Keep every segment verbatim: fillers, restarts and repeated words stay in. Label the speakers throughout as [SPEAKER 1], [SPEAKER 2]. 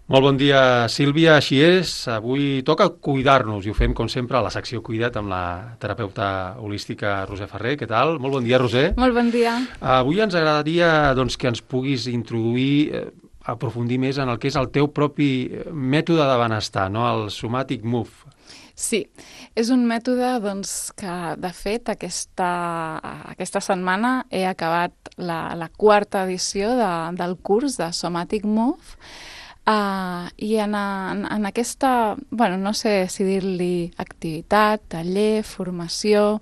[SPEAKER 1] Molt bon dia, Sílvia. Així és, avui toca cuidar-nos i ho fem, com sempre, a la secció Cuida't amb la terapeuta holística Roser Ferrer. Què tal? Molt bon dia, Roser.
[SPEAKER 2] Molt bon dia.
[SPEAKER 1] Avui ens agradaria doncs, que ens puguis introduir, eh, aprofundir més en el que és el teu propi mètode de benestar, no? El Somatic Move.
[SPEAKER 2] Sí, és un mètode doncs, que, de fet, aquesta, aquesta setmana he acabat la, la quarta edició de, del curs de Somatic Move. Uh, I en, en, en aquesta, bueno, no sé si dir-li activitat, taller, formació,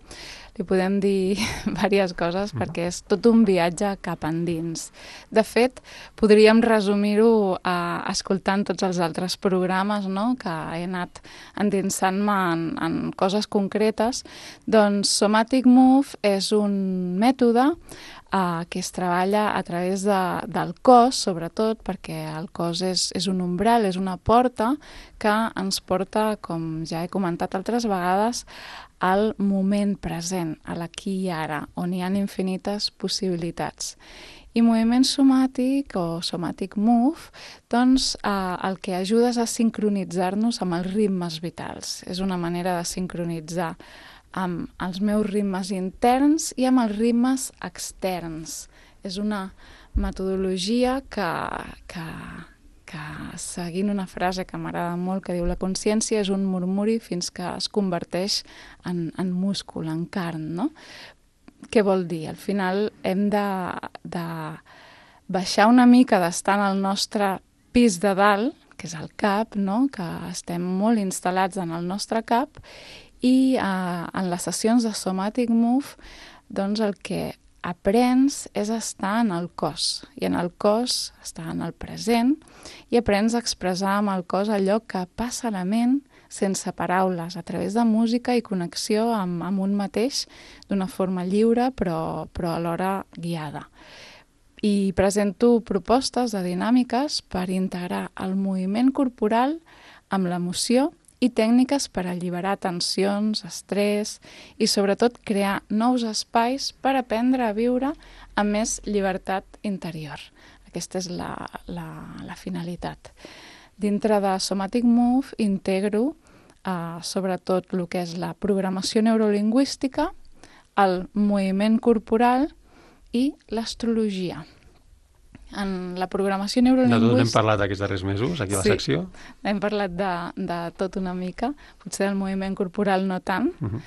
[SPEAKER 2] li podem dir diverses coses mm. perquè és tot un viatge cap endins. De fet, podríem resumir-ho uh, escoltant tots els altres programes, no?, que he anat endinsant-me en, en coses concretes. Doncs Somatic Move és un mètode Uh, que es treballa a través de, del cos, sobretot, perquè el cos és, és un umbral, és una porta que ens porta, com ja he comentat altres vegades, al moment present, a l'aquí i ara, on hi ha infinites possibilitats. I moviment somàtic o somatic move, doncs uh, el que ajuda és a sincronitzar-nos amb els ritmes vitals. És una manera de sincronitzar amb els meus ritmes interns i amb els ritmes externs. És una metodologia que, que, que seguint una frase que m'agrada molt, que diu la consciència és un murmuri fins que es converteix en, en múscul, en carn, no? Què vol dir? Al final hem de, de baixar una mica d'estar en el nostre pis de dalt, que és el cap, no? Que estem molt instal·lats en el nostre cap, i uh, en les sessions de Somatic Move doncs el que aprens és estar en el cos, i en el cos estar en el present, i aprens a expressar amb el cos allò que passa a la ment sense paraules, a través de música i connexió amb, amb un mateix d'una forma lliure però, però alhora guiada. I presento propostes de dinàmiques per integrar el moviment corporal amb l'emoció i tècniques per alliberar tensions, estrès i sobretot crear nous espais per aprendre a viure amb més llibertat interior. Aquesta és la, la, la finalitat. Dintre de Somatic Move integro eh, sobretot el que és la programació neurolingüística, el moviment corporal i l'astrologia. En la programació neurolingüística...
[SPEAKER 1] De tot n'hem parlat aquests darrers mesos, aquí a la
[SPEAKER 2] sí,
[SPEAKER 1] secció.
[SPEAKER 2] hem parlat de, de tot una mica, potser del moviment corporal no tant. Uh-huh.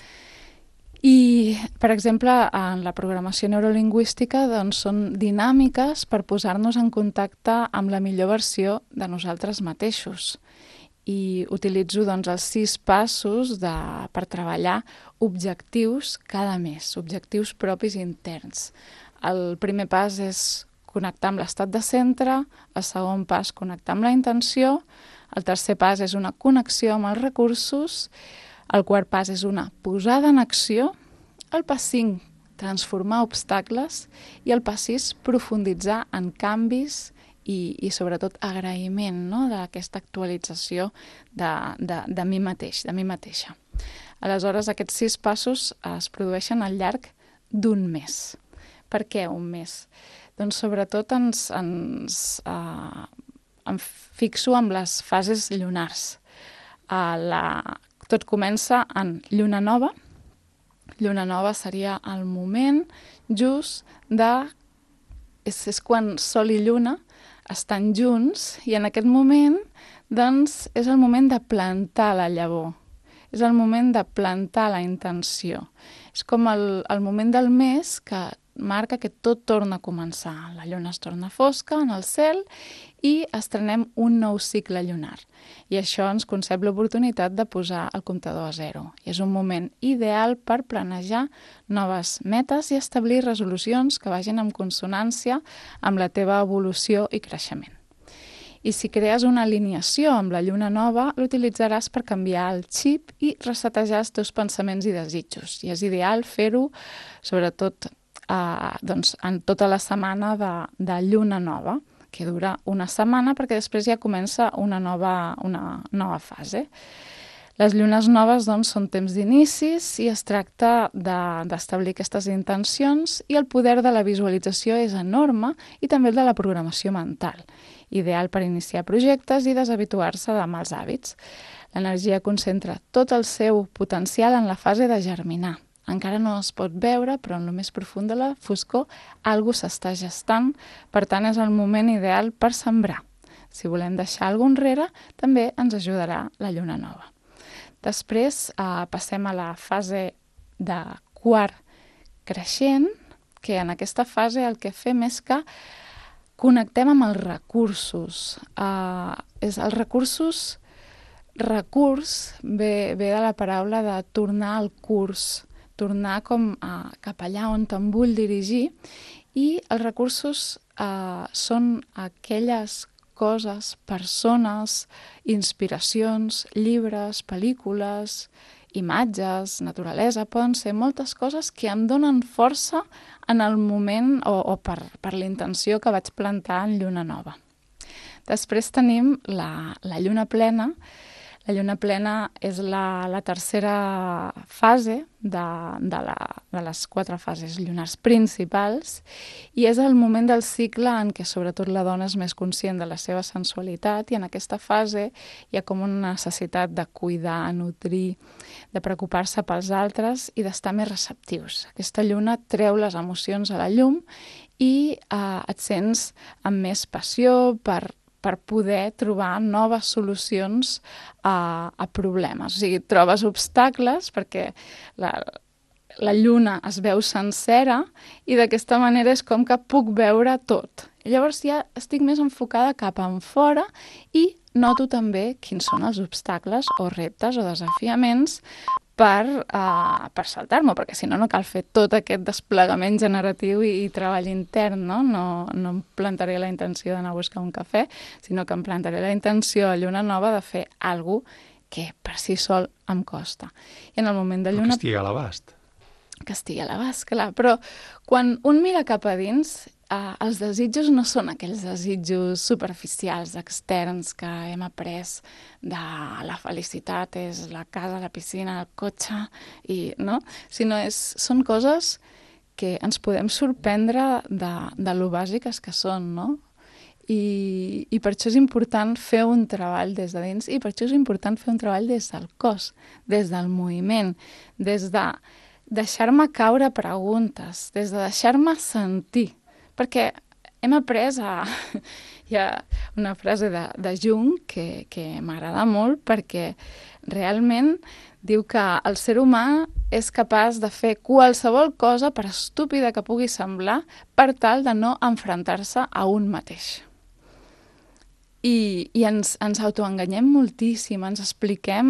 [SPEAKER 2] I, per exemple, en la programació neurolingüística doncs, són dinàmiques per posar-nos en contacte amb la millor versió de nosaltres mateixos. I utilitzo doncs, els sis passos de, per treballar objectius cada mes, objectius propis interns. El primer pas és connectar amb l'estat de centre, el segon pas connectar amb la intenció, el tercer pas és una connexió amb els recursos, el quart pas és una posada en acció, el pas cinc, transformar obstacles, i el pas sis, profunditzar en canvis i, i sobretot agraïment, no?, d'aquesta actualització de, de, de mi mateix, de mi mateixa. Aleshores, aquests sis passos es produeixen al llarg d'un mes. Per què un mes? Doncs sobretot ens, ens uh, em fixo amb les fases lunars. Uh, la, tot comença en lluna nova. Lluna nova seria el moment just de... És, és quan sol i lluna estan junts, i en aquest moment doncs, és el moment de plantar la llavor. És el moment de plantar la intenció. És com el, el moment del mes que marca que tot torna a començar. La lluna es torna fosca en el cel i estrenem un nou cicle lunar. I això ens concep l'oportunitat de posar el comptador a zero. I és un moment ideal per planejar noves metes i establir resolucions que vagin en consonància amb la teva evolució i creixement. I si crees una alineació amb la lluna nova, l'utilitzaràs per canviar el xip i resetejar els teus pensaments i desitjos. I és ideal fer-ho, sobretot, Uh, doncs, en tota la setmana de, de lluna nova, que dura una setmana perquè després ja comença una nova, una nova fase. Les llunes noves doncs, són temps d'inicis i es tracta d'establir de, aquestes intencions, i el poder de la visualització és enorme, i també el de la programació mental, ideal per iniciar projectes i deshabituar-se de mals hàbits. L'energia concentra tot el seu potencial en la fase de germinar. Encara no es pot veure, però en el més profund de la foscor algú s'està gestant, per tant és el moment ideal per sembrar. Si volem deixar alguna cosa enrere, també ens ajudarà la lluna nova. Després eh, passem a la fase de quart creixent, que en aquesta fase el que fem és que connectem amb els recursos. Eh, és, els recursos, recurs ve, ve de la paraula de tornar al curs, tornar com a, cap allà on te'n vull dirigir, i els recursos eh, són aquelles coses, persones, inspiracions, llibres, pel·lícules, imatges, naturalesa, poden ser moltes coses que em donen força en el moment o, o per, per la intenció que vaig plantar en lluna nova. Després tenim la, la lluna plena. La lluna plena és la, la tercera fase de, de, la, de les quatre fases lunars principals, i és el moment del cicle en què sobretot la dona és més conscient de la seva sensualitat, i en aquesta fase hi ha com una necessitat de cuidar, nutrir, de preocupar-se pels altres i d'estar més receptius. Aquesta lluna treu les emocions a la llum i eh, et sents amb més passió per per poder trobar noves solucions a, a problemes. O sigui, trobes obstacles perquè la, la lluna es veu sencera, i d'aquesta manera és com que puc veure tot. I llavors ja estic més enfocada cap en fora i noto també quins són els obstacles o reptes o desafiaments per, uh, per saltar-me, perquè si no, no cal fer tot aquest desplegament generatiu i, i treball intern, no? No, no em plantaré la intenció d'anar a buscar un cafè, sinó que em plantaré la intenció a lluna nova de fer alguna cosa que per si sol em costa. I en el moment de lluna...
[SPEAKER 1] Que estigui a l'abast.
[SPEAKER 2] Que estigui a l'abast, clar. Però quan un mira cap a dins, eh, els desitjos no són aquells desitjos superficials, externs, que hem après de la felicitat, és la casa, la piscina, el cotxe, i, no? Sinó és, són coses que ens podem sorprendre de, de lo bàsiques que són, no? I, i per això és important fer un treball des de dins, i per això és important fer un treball des del cos, des del moviment, des de deixar-me caure preguntes, des de deixar-me sentir, perquè hem après a... Hi ha una frase de, de Jung que, que m'agrada molt, perquè realment diu que el ser humà és capaç de fer qualsevol cosa, per estúpida que pugui semblar, per tal de no enfrontar-se a un mateix. I, i ens, ens autoenganyem moltíssim, ens expliquem,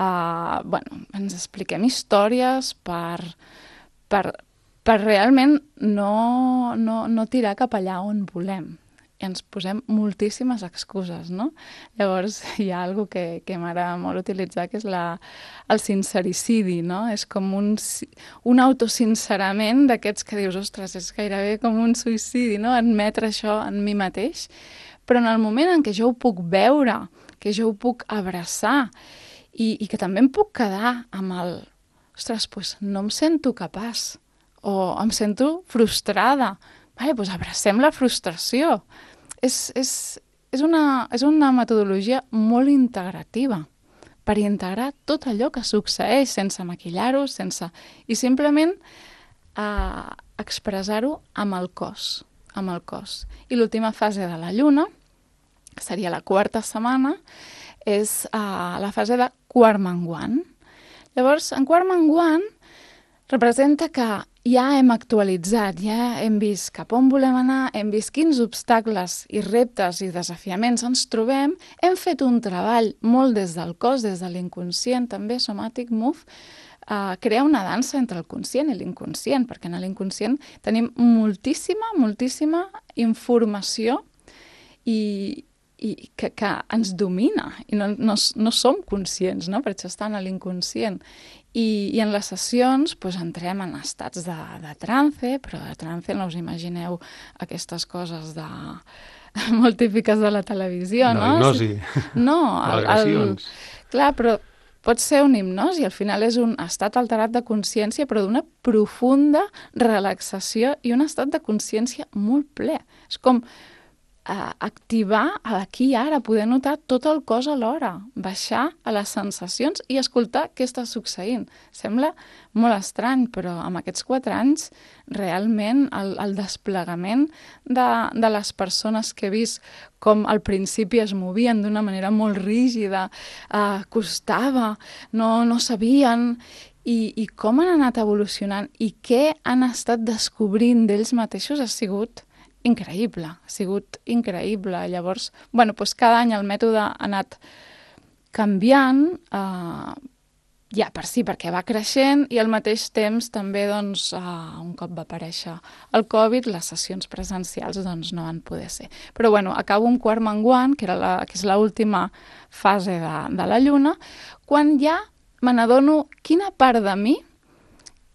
[SPEAKER 2] uh, bueno, ens expliquem històries per, per, per realment no, no, no tirar cap allà on volem. I ens posem moltíssimes excuses, no? Llavors hi ha alguna que, que m'agrada molt utilitzar, que és la, el sincericidi, no? És com un, un autosincerament d'aquests que dius, ostres, és gairebé com un suïcidi, no? Admetre això en mi mateix. Però en el moment en què jo ho puc veure, que jo ho puc abraçar, i, i que també em puc quedar amb el... Ostres, doncs no em sento capaç, o em sento frustrada. Vale, doncs abracem la frustració. És, és, és, una, és una metodologia molt integrativa per integrar tot allò que succeeix sense maquillar-ho, sense... i simplement eh, expressar-ho amb el cos, amb el cos. I l'última fase de la lluna, que seria la quarta setmana, és uh, la fase de quart menguant. Llavors, en quart menguant representa que ja hem actualitzat, ja hem vist cap on volem anar, hem vist quins obstacles i reptes i desafiaments ens trobem, hem fet un treball molt des del cos, des de l'inconscient, també Somatic Move, uh, crea una dansa entre el conscient i l'inconscient, perquè en l'inconscient tenim moltíssima, moltíssima informació i, i que, que ens domina i no, no, no som conscients, no? Per això està en l'inconscient. I, I en les sessions pues, entrem en estats de, de trance, però de trance no us imagineu aquestes coses de... molt típiques de la televisió, no?
[SPEAKER 1] No, hipnosi.
[SPEAKER 2] No, el, el, clar, però pot ser un hipnosi, al final és un estat alterat de consciència, però d'una profunda relaxació i un estat de consciència molt ple. És com eh, activar aquí i ara, poder notar tot el cos alhora, baixar a les sensacions i escoltar què està succeint. Sembla molt estrany, però amb aquests quatre anys realment el, el desplegament de, de les persones que he vist com al principi es movien d'una manera molt rígida, eh, costava, no, no sabien, i, i com han anat evolucionant i què han estat descobrint d'ells mateixos ha sigut increïble, ha sigut increïble. Llavors, bueno, doncs cada any el mètode ha anat canviant, eh, ja per si, perquè va creixent, i al mateix temps també, doncs, eh, un cop va aparèixer el Covid, les sessions presencials doncs, no van poder ser. Però bueno, acabo un quart menguant, que, era la, que és l'última fase de, de la lluna, quan ja me n'adono quina part de mi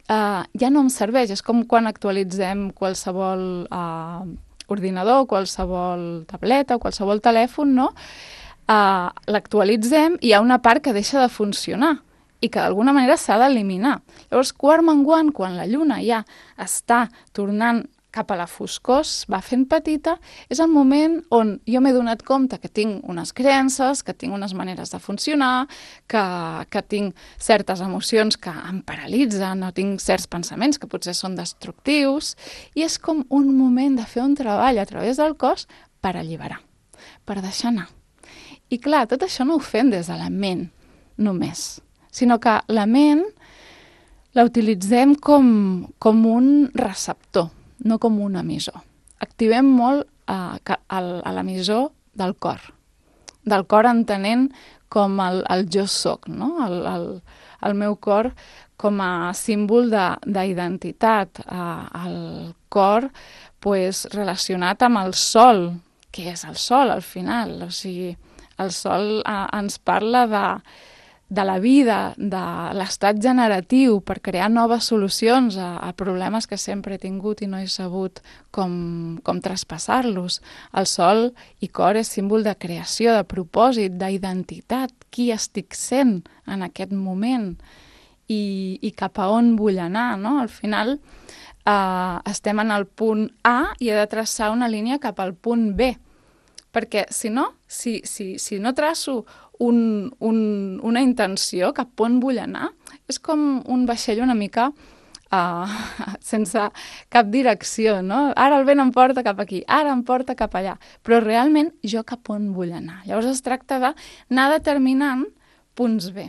[SPEAKER 2] Uh, ja no em serveix. És com quan actualitzem qualsevol uh, ordinador, qualsevol tableta o qualsevol telèfon, no? Uh, l'actualitzem i hi ha una part que deixa de funcionar i que d'alguna manera s'ha d'eliminar. Llavors, quart menguant, quan la lluna ja està tornant cap a la foscor, va fent petita, és el moment on jo m'he donat compte que tinc unes creences, que tinc unes maneres de funcionar, que, que tinc certes emocions que em paralitzen, o tinc certs pensaments que potser són destructius, i és com un moment de fer un treball a través del cos per alliberar, per deixar anar. I clar, tot això no ho fem des de la ment només, sinó que la ment la utilitzem com, com un receptor, no com un emissor. Activem molt eh, a l'emissor del cor, del cor entenent com el, el jo soc, no? el, el, el meu cor com a símbol d'identitat, eh, el cor pues, relacionat amb el sol, que és el sol al final, o sigui, el sol eh, ens parla de de la vida, de l'estat generatiu per crear noves solucions a, a problemes que sempre he tingut i no he sabut com, com traspassar-los. El sol i cor és símbol de creació, de propòsit, d'identitat, qui estic sent en aquest moment i, i cap a on vull anar, no? Al final eh, estem en el punt A i he de traçar una línia cap al punt B, perquè si no, si, si, si no traço Un, un, una intenció cap on vull anar, és com un vaixell una mica uh, sense cap direcció, no? Ara el vent em porta cap aquí, ara em porta cap allà, però realment jo cap on vull anar. Llavors es tracta d'anar determinant punts B,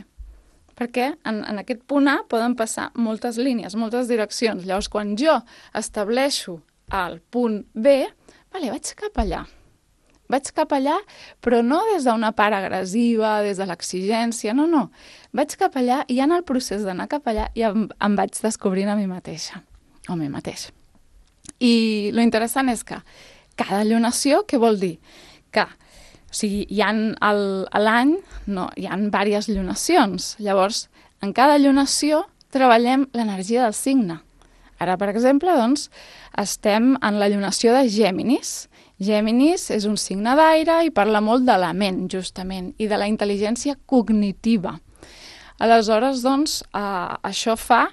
[SPEAKER 2] perquè en, en aquest punt A poden passar moltes línies, moltes direccions. Llavors quan jo estableixo el punt B, vale, vaig cap allà. Vaig cap allà, però no des d'una part agressiva, des de l'exigència, no, no. Vaig cap allà i en el procés d'anar cap allà ja em, em vaig descobrint a mi mateixa, o a mi mateix. I lo interessant és que cada allunació, què vol dir? Que, o sigui, hi ha el, a l'any, no, hi ha diverses allunacions. Llavors, en cada allunació treballem l'energia del signe. Ara, per exemple, doncs, estem en l'allunació de Gèminis. Gèminis és un signe d'aire i parla molt de la ment, justament, i de la intel·ligència cognitiva. Aleshores, doncs, eh, això fa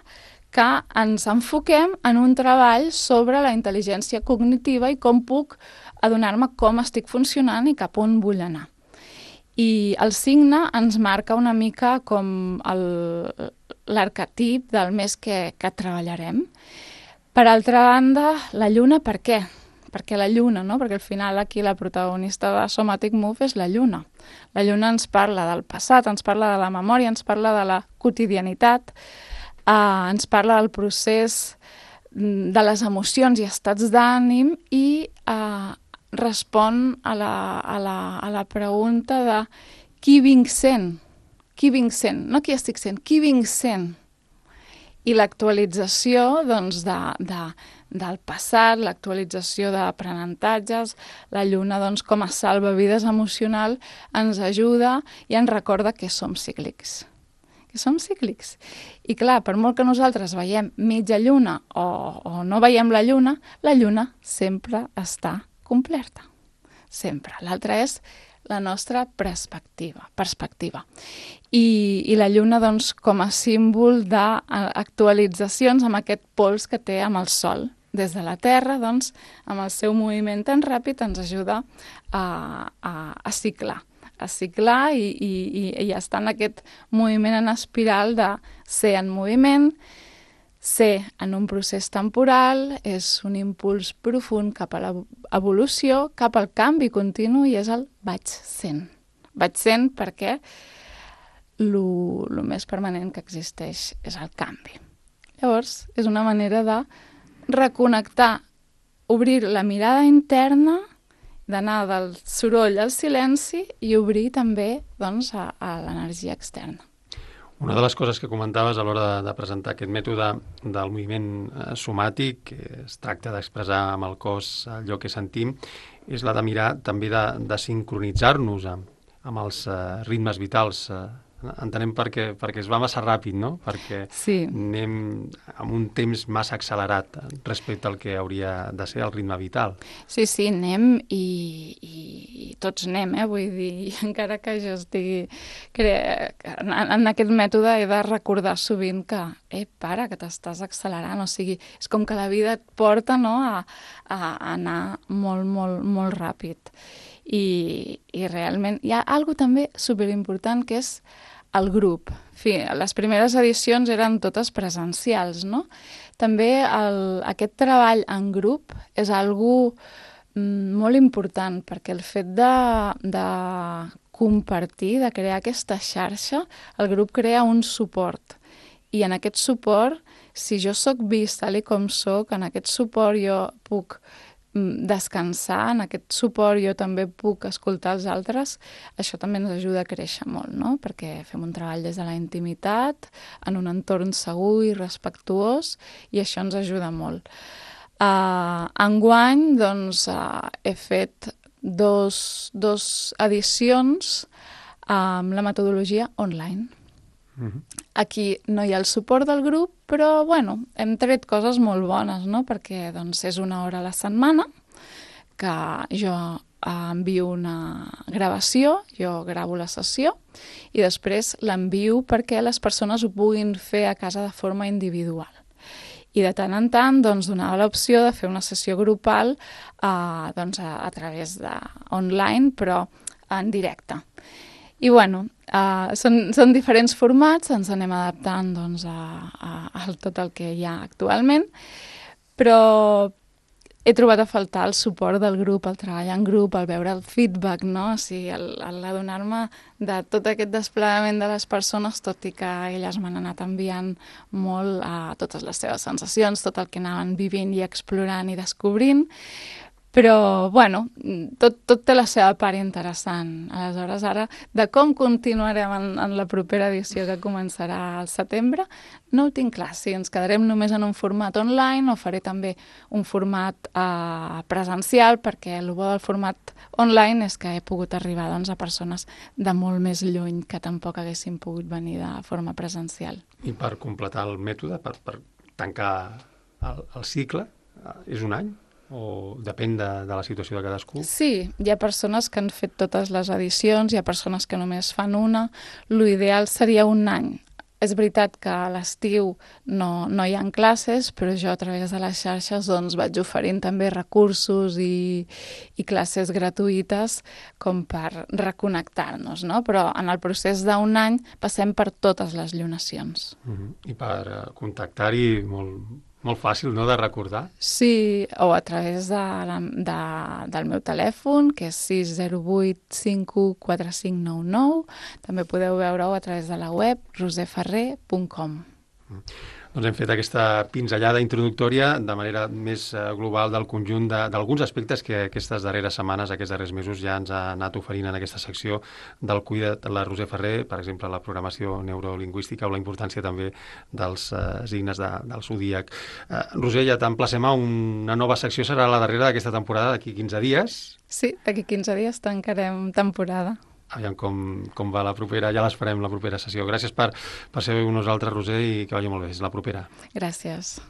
[SPEAKER 2] que ens enfoquem en un treball sobre la intel·ligència cognitiva i com puc adonar-me com estic funcionant i cap on vull anar. I el signe ens marca una mica com l'arquetip del mes que, que treballarem. Per altra banda, la lluna, per què? Perquè la lluna, no? Perquè al final aquí la protagonista de Somatic Move és la lluna. La lluna ens parla del passat, ens parla de la memòria, ens parla de la quotidianitat, eh, ens parla del procés de les emocions i estats d'ànim i eh, respon a la, a, la, a la pregunta de qui vinc sent, qui vinc sent, no qui estic sent, qui vinc sent. I l'actualització, doncs, de, de, del passat, l'actualització d'aprenentatges, la lluna, doncs, com a salvavides emocional, ens ajuda i ens recorda que som cíclics. Que som cíclics. I clar, per molt que nosaltres veiem mitja lluna o, o no veiem la lluna, la lluna sempre està completa. Sempre. L'altre és la nostra perspectiva. perspectiva. I, i la lluna, doncs, com a símbol d'actualitzacions amb aquest pols que té amb el sol. Des de la Terra, doncs, amb el seu moviment tan ràpid, ens ajuda a, a, a ciclar. a ciclar i, i, i estar en aquest moviment en espiral de ser en moviment, ser en un procés temporal, és un impuls profund cap a l'evolució, cap al canvi continu, i és el vaig sent. Vaig sent perquè el més permanent que existeix és el canvi. Llavors, és una manera de reconnectar, obrir la mirada interna, d'anar del soroll al silenci i obrir també, doncs, a, a l'energia externa.
[SPEAKER 1] Una de les coses que comentaves a l'hora de, de presentar aquest mètode del moviment eh, somàtic, que es tracta d'expressar amb el cos allò que sentim, és la de mirar també de, de sincronitzar-nos amb, amb els eh, ritmes vitals. Eh, entenem perquè, perquè es va massa ràpid, no? Perquè
[SPEAKER 2] sí.
[SPEAKER 1] anem amb un temps massa accelerat respecte al que hauria de ser el ritme vital.
[SPEAKER 2] Sí, sí, anem i, i, i tots anem, eh? Vull dir, encara que jo estigui... Cre... En, en aquest mètode he de recordar sovint que, eh, para, que t'estàs accelerant, o sigui, és com que la vida et porta, no?, a, a anar molt, molt, molt ràpid. I, i realment hi ha algo també superimportant que és el grup. En fi, les primeres edicions eren totes presencials, no? També el, aquest treball en grup és algo mm, molt important, perquè el fet de, de compartir, de crear aquesta xarxa, el grup crea un suport. I en aquest suport, si jo sóc vist tal i com sóc, en aquest suport jo puc descansar, en aquest suport jo també puc escoltar els altres, això també ens ajuda a créixer molt, no? Perquè fem un treball des de la intimitat, en un entorn segur i respectuós, i això ens ajuda molt. Uh, enguany, doncs, uh, he fet dos, dos edicions amb la metodologia online. Mm-hmm. Aquí no hi ha el suport del grup, però, bueno, hem tret coses molt bones, no? Perquè, doncs, és una hora a la setmana que jo envio una gravació, jo gravo la sessió i després l'envio perquè les persones ho puguin fer a casa de forma individual. I de tant en tant, doncs, donava l'opció de fer una sessió grupal eh, doncs, a, a través de online, però en directe. I, bueno, uh, són, són diferents formats, ens anem adaptant, doncs, a, a, a tot el que hi ha actualment, però he trobat a faltar el suport del grup, el treball en grup, el veure el feedback, no? O sigui, el, el adonar-me de tot aquest desplegament de les persones, tot i que elles m'han anat enviant molt a totes les seves sensacions, tot el que anaven vivint i explorant i descobrint. Però, bueno, tot, tot té la seva part interessant. Aleshores, ara, de com continuarem en, en la propera edició que començarà al setembre, no ho tinc clar. Si ens quedarem només en un format online o faré també un format eh, presencial, perquè el bo del format online és que he pogut arribar, doncs, a persones de molt més lluny que tampoc haguessin pogut venir de forma presencial.
[SPEAKER 1] I per completar el mètode, per, per tancar el, el cicle, és un any? O depèn de, de la situació de cadascú?
[SPEAKER 2] Sí, hi ha persones que han fet totes les edicions, hi ha persones que només fan una. L'ideal seria un any. És veritat que a l'estiu no, no hi ha classes, però jo a través de les xarxes doncs, vaig oferint també recursos i, i classes gratuïtes com per reconnectar-nos, no? Però en el procés d'un any passem per totes les llunacions.
[SPEAKER 1] Uh-huh. I per uh, contactar-hi molt... Molt fàcil, no?, de recordar.
[SPEAKER 2] Sí, o a través de, de, del meu telèfon, que és sis zero vuit cinc u quatre cinc nou nou. També podeu veure-ho a través de la web roser ferrer punt com.
[SPEAKER 1] Mm. Doncs hem fet aquesta pinzellada introductòria de manera més global del conjunt d'alguns aspectes que aquestes darreres setmanes, aquests darrers mesos ja ens ha anat oferint en aquesta secció del Cuida't, la Roser Ferrer, per exemple, la programació neurolingüística o la importància també dels uh, signes de, del zodíac. Uh, Roser, ja t'emplacem a una nova secció, serà la darrera d'aquesta temporada, d'aquí quinze dies.
[SPEAKER 2] Sí, d'aquí quinze dies tancarem temporada.
[SPEAKER 1] Aviam com, com va la propera, ja l'esperem la propera sessió. Gràcies per, per ser amb nosaltres, Roser, i que vagi molt bé. És la propera.
[SPEAKER 2] Gràcies.